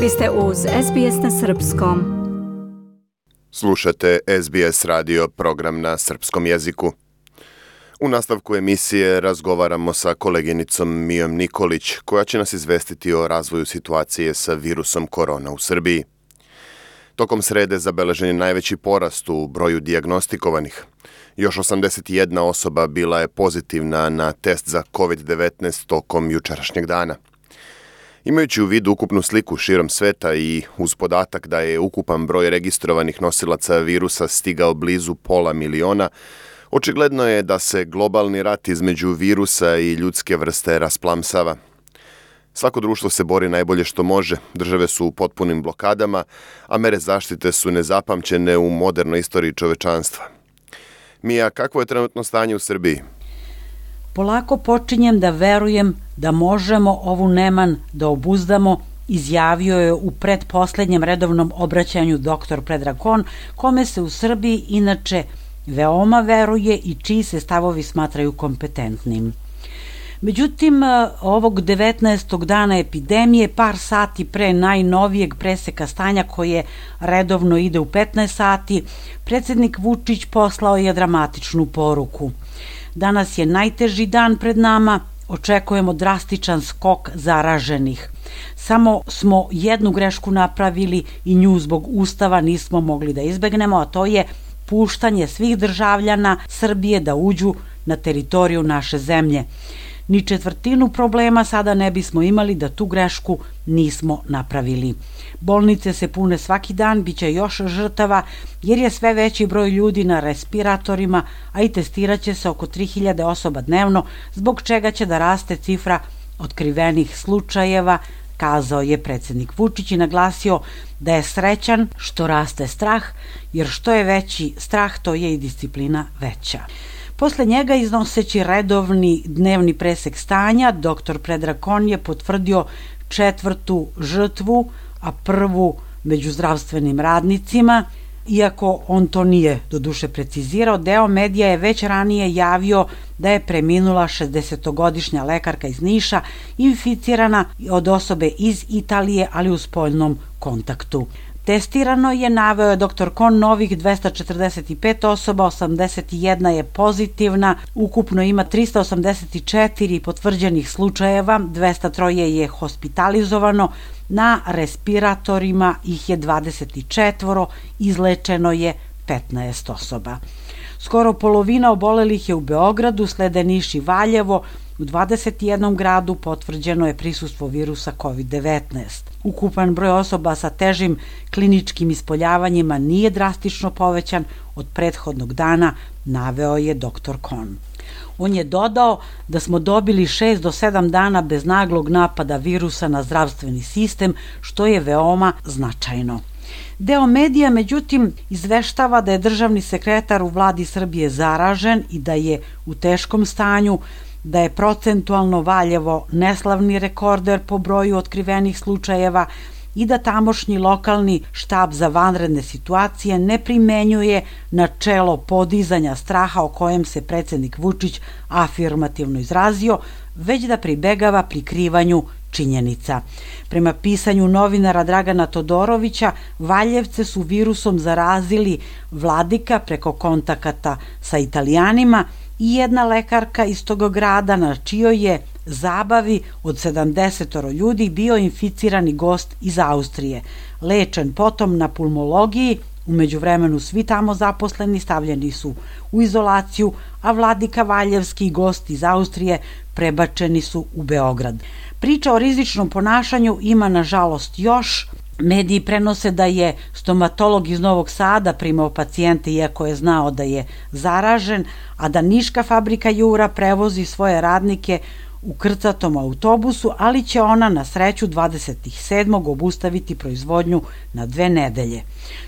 Vi ste uz SBS na Srpskom. Slušate SBS radio program na srpskom jeziku. U nastavku emisije razgovaramo sa koleginicom Mijom Nikolić, koja će nas izvestiti o razvoju situacije sa virusom korona u Srbiji. Tokom srede zabeležen je najveći porast u broju dijagnostikovanih. Još 81 osoba bila je pozitivna na test za COVID-19 tokom jučerašnjeg dana. Imajući u vidu ukupnu sliku širom sveta i uz podatak da je ukupan broj registrovanih nosilaca virusa stigao blizu 500 miliona, očigledno je da se globalni rat između virusa i ljudske vrste rasplamsava. Svako društvo se bori najbolje što može, države su u potpunim blokadama, a mere zaštite su nezapamćene u modernoj istoriji čovečanstva. Mija, kakvo je trenutno stanje u Srbiji? Polako počinjem da verujem da možemo ovu neman da obuzdamo, izjavio je u pretposlednjem redovnom obraćanju dr. Predrag Kon, kome se u Srbiji inače veoma veruje i čiji se stavovi smatraju kompetentnim. Međutim, ovog 19. dana epidemije, par sati pre najnovijeg preseka stanja koje redovno ide u 15 sati, predsjednik Vučić poslao je dramatičnu poruku. Danas je najteži dan pred nama, očekujemo drastičan skok zaraženih. Samo smo jednu grešku napravili i nju zbog Ustava nismo mogli da izbegnemo, a to je puštanje svih državljana Srbije da uđu na teritoriju naše zemlje. Ni četvrtinu problema sada ne bismo imali da tu grešku nismo napravili. Bolnice se pune svaki dan, bit će još žrtava jer je sve veći broj ljudi na respiratorima, a i testirat će se oko 3000 osoba dnevno, zbog čega će da raste cifra otkrivenih slučajeva, kazao je predsjednik Vučić i naglasio da je srećan što raste strah, jer što je veći strah, to je i disciplina veća. Posle njega, iznoseći redovni dnevni presek stanja, dr. Predrag Kon je potvrdio 4. žrtvu, a 1. među zdravstvenim radnicima. Iako on to nije doduše precizirao, deo medija je već ranije javio da je preminula 60-godišnja lekarka iz Niša, inficirana od osobe iz Italije, ali u spoljnom kontaktu. Testirano je, naveo je dr. Kon, novih 245 osoba, 81 je pozitivna, ukupno ima 384 potvrđenih slučajeva, 203 je hospitalizovano, na respiratorima ih je 24, izlečeno je 15 osoba. Skoro polovina obolelih je u Beogradu, slede Niš i Valjevo. U 21 gradu potvrđeno je prisustvo virusa COVID-19. Ukupan broj osoba sa težim kliničkim ispoljavanjima nije drastično povećan od prethodnog dana, naveo je dr. Kon. On je dodao da smo dobili 6 do 7 dana bez naglog napada virusa na zdravstveni sistem, što je veoma značajno. Deo medija, međutim, izveštava da je državni sekretar u vladi Srbije zaražen i da je u teškom stanju, da je procentualno Valjevo neslavni rekorder po broju otkrivenih slučajeva i da tamošnji lokalni štab za vanredne situacije ne primenjuje načelo podizanja straha o kojem se predsjednik Vučić afirmativno izrazio, već da pribegava prikrivanju činjenica. Prema pisanju novinara Dragana Todorovića, Valjevce su virusom zarazili Vladika preko kontakata sa Italijanima i jedna lekarka iz tog grada, na čijoj je zabavi od 70 ljudi bio inficirani gost iz Austrije. Lečen potom na pulmologiji, u međuvremenu svi tamo zaposleni stavljeni su u izolaciju, a Vladika Valjevski gost iz Austrije prebačeni su u Beograd. Priča o rizičnom ponašanju ima nažalost još. Mediji prenose da je stomatolog iz Novog Sada primao pacijente iako je znao da je zaražen, a da niška fabrika Jura prevozi svoje radnike u krcatom autobusu, ali će ona na sreću 27. obustaviti proizvodnju na 2 nedelje.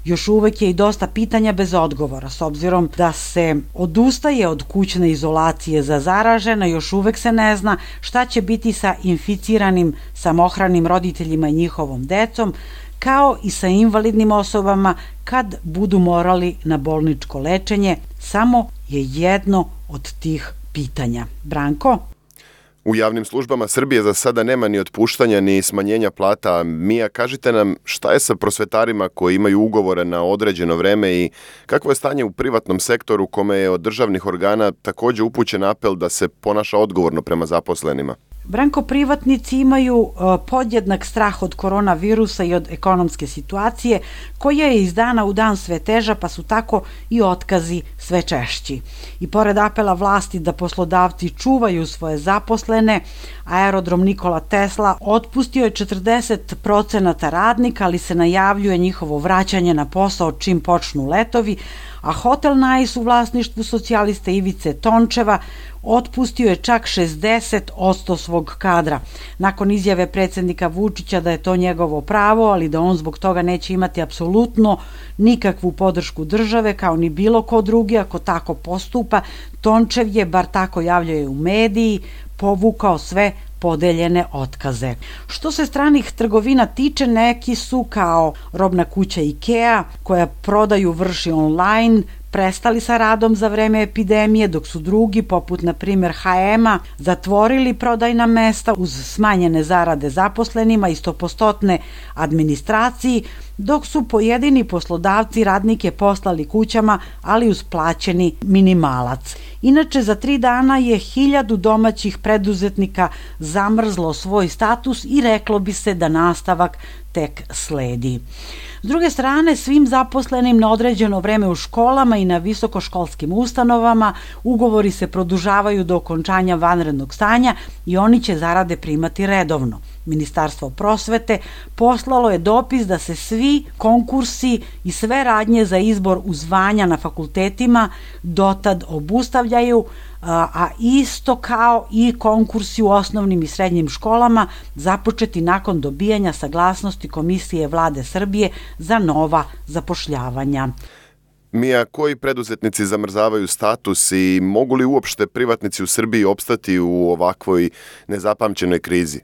Još uvek je i dosta pitanja bez odgovora, s obzirom da se odustaje od kućne izolacije za zaražene, još uvek se ne zna šta će biti sa inficiranim samohranim roditeljima i njihovom decom, kao i sa invalidnim osobama kad budu morali na bolničko lečenje. Samo je jedno od tih pitanja. Branko? U javnim službama Srbije za sada nema ni otpuštanja ni smanjenja plata. Mija, kažite nam šta je sa prosvetarima koji imaju ugovore na određeno vreme i kakvo je stanje u privatnom sektoru kome je od državnih organa također upućen apel da se ponaša odgovorno prema zaposlenima? Branko, privatnici imaju podjednak strah od koronavirusa i od ekonomske situacije koja je iz dana u dan sve teža, pa su tako i otkazi sve češći. I pored apela vlasti da poslodavci čuvaju svoje zaposlene, aerodrom Nikola Tesla otpustio je 40% radnika, ali se najavljuje njihovo vraćanje na posao čim počnu letovi, a hotel Nice u vlasništvu socijaliste Ivice Tončeva otpustio je čak 60% svog kadra. Nakon izjave predsjednika Vučića da je to njegovo pravo, ali da on zbog toga neće imati apsolutno nikakvu podršku države, kao ni bilo ko drugi ako tako postupa, Tončev je, bar tako javljaju u mediji, povukao sve podeljene otkaze. Što se stranih trgovina tiče, neki su kao robna kuća IKEA, koja prodaju vrši online, prestali sa radom za vreme epidemije, dok su drugi, poput na primjer H&M-a, zatvorili prodajna mesta uz smanjene zarade zaposlenima i 100% administraciji, dok su pojedini poslodavci radnike poslali kućama, ali uz plaćeni minimalac. Inače, za 3 dana je 1000 domaćih preduzetnika zamrzlo svoj status i reklo bi se da nastavak tek sledi. S druge strane, svim zaposlenim na određeno vreme u školama i na visokoškolskim ustanovama ugovori se produžavaju do okončanja vanrednog stanja i oni će zarade primati redovno. Ministarstvo prosvete poslalo je dopis da se svi konkursi i sve radnje za izbor u zvanja na fakultetima dotad obustavljaju, a isto kao i konkursi u osnovnim i srednjim školama započeti nakon dobijanja saglasnosti Komisije Vlade Srbije za nova zapošljavanja. Mija, koji preduzetnici zamrzavaju status i mogu li uopšte privatnici u Srbiji opstati u ovakvoj nezapamćenoj krizi?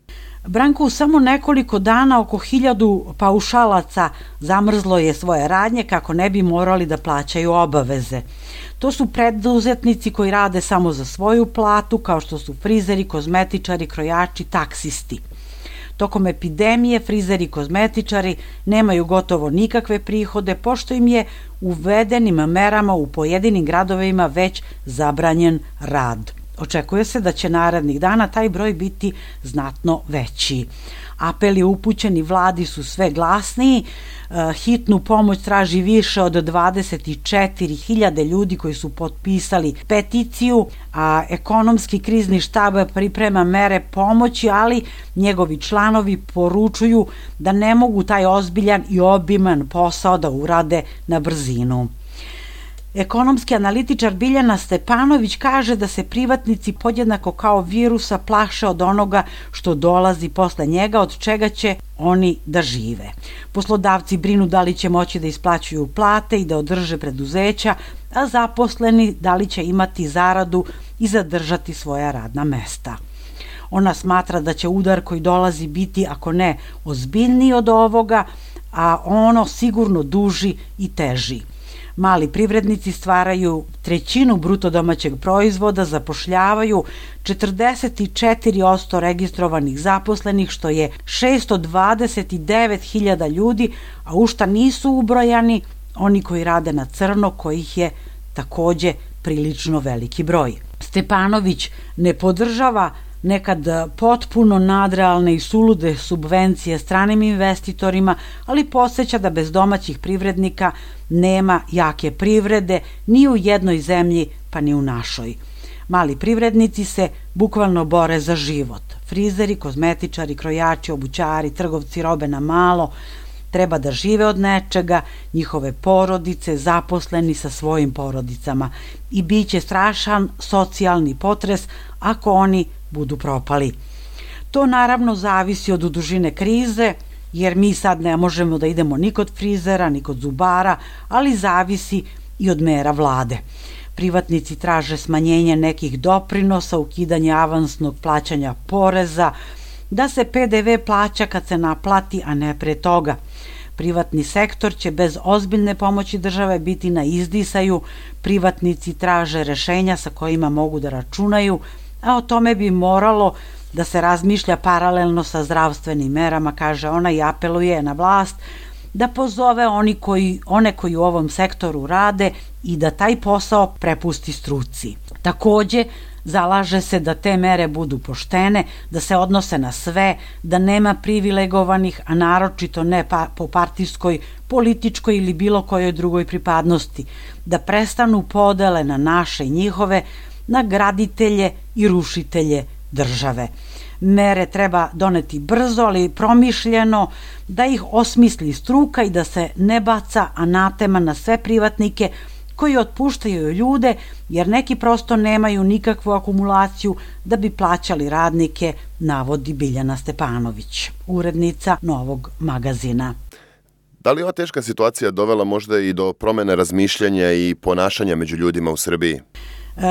Branko, u samo nekoliko dana oko 1000 paušalaca zamrzlo je svoje radnje kako ne bi morali da plaćaju obaveze. To su preduzetnici koji rade samo za svoju platu, kao što su frizeri, kozmetičari, krojači, taksisti. Tokom epidemije frizeri i kozmetičari nemaju gotovo nikakve prihode, pošto im je uvedenim merama u pojedinim gradovima već zabranjen rad. Očekuje se da će narednih dana taj broj biti znatno veći. Apeli upućeni vladi su sve glasniji, hitnu pomoć traži više od 24.000 ljudi koji su potpisali peticiju, a ekonomski krizni štab priprema mere pomoći, ali njegovi članovi poručuju da ne mogu taj ozbiljan i obiman posao da urade na brzinu. Ekonomski analitičar Biljana Stepanović kaže da se privatnici podjednako kao virusa plaše od onoga što dolazi posle njega, od čega će oni da žive. Poslodavci brinu da li će moći da isplaćuju plate i da održe preduzeća, a zaposleni da li će imati zaradu i zadržati svoja radna mesta. Ona smatra da će udar koji dolazi biti, ako ne ozbiljniji od ovoga, a ono sigurno duži i teži. Mali privrednici stvaraju 1/3 bruto domaćeg proizvoda, zapošljavaju 44% registrovanih zaposlenih, što je 629.000 ljudi, a u šta nisu ubrojani oni koji rade na crno, kojih je takođe prilično veliki broj. Stepanović ne podržava nekad potpuno nadrealne i sulude subvencije stranim investitorima, ali podsjeća da bez domaćih privrednika nema jake privrede ni u jednoj zemlji, pa ni u našoj. Mali privrednici se bukvalno bore za život. Frizeri, kozmetičari, krojači, obućari, trgovci robe na malo treba da žive od nečega, njihove porodice, zaposleni sa svojim porodicama, i biće strašan socijalni potres ako oni budu propali. To naravno zavisi od dužine krize, jer mi sad ne možemo da idemo ni kod frizera, ni kod zubara, ali zavisi i od mera vlade. Privatnici traže smanjenje nekih doprinosa, ukidanje avansnog plaćanja poreza, da se PDV plaća kad se naplati, a ne pre toga. Privatni sektor će bez ozbiljne pomoći države biti na izdisaju, privatnici traže rešenja sa kojima mogu da računaju a o tome bi moralo da se razmišlja paralelno sa zdravstvenim merama, kaže ona, i apeluje na vlast da pozove one koji u ovom sektoru rade i da taj posao prepusti struci. Takođe, zalaže se da te mere budu poštene, da se odnose na sve, da nema privilegovanih, a naročito ne po partijskoj, političkoj ili bilo kojoj drugoj pripadnosti, da prestanu podele na naše i njihove, na graditelje i rušitelje države. Mere treba doneti brzo, ali promišljeno, da ih osmisli struka i da se ne baca anatema na sve privatnike koji otpuštaju ljude, jer neki prosto nemaju nikakvu akumulaciju da bi plaćali radnike, navodi Biljana Stepanović, urednica Novog magazina. Da li ova teška situacija dovela možda i do promene razmišljanja i ponašanja među ljudima u Srbiji?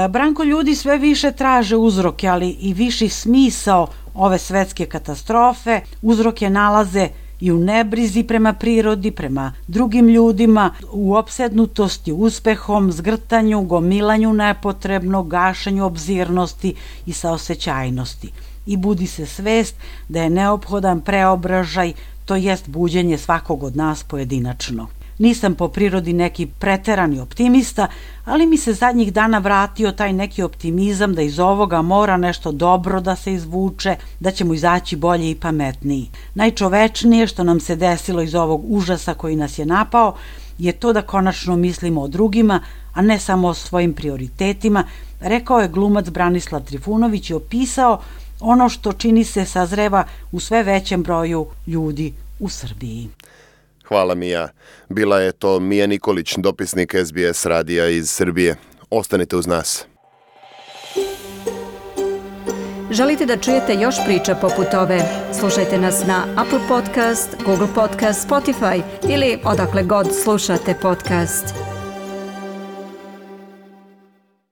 Branko, ljudi sve više traže uzroke, ali i viši smisao ove svetske katastrofe. Uzroke nalaze i u nebrizi prema prirodi, prema drugim ljudima, u opsednutosti uspehom, zgrtanju, gomilanju nepotrebnog, gašenju obzirnosti i saosećajnosti. I budi se svest da je neophodan preobražaj, to jest buđenje svakog od nas pojedinačno. Nisam po prirodi neki preterani optimista, ali mi se zadnjih dana vratio taj neki optimizam da iz ovoga mora nešto dobro da se izvuče, da ćemo izaći bolje i pametniji. Najčovečnije što nam se desilo iz ovog užasa koji nas je napao je to da konačno mislimo o drugima, a ne samo o svojim prioritetima, rekao je glumac Branislav Trifunović i opisao ono što čini se sazreva u sve većem broju ljudi u Srbiji. Hvala Mija. Bila je to Mija Nikolić, dopisnik SBS radija iz Srbije. Ostanite uz nas. Želite da čujete još priča poput ove? Slušajte nas na Apple Podcast, Google Podcast, Spotify ili odakle god slušate podcast.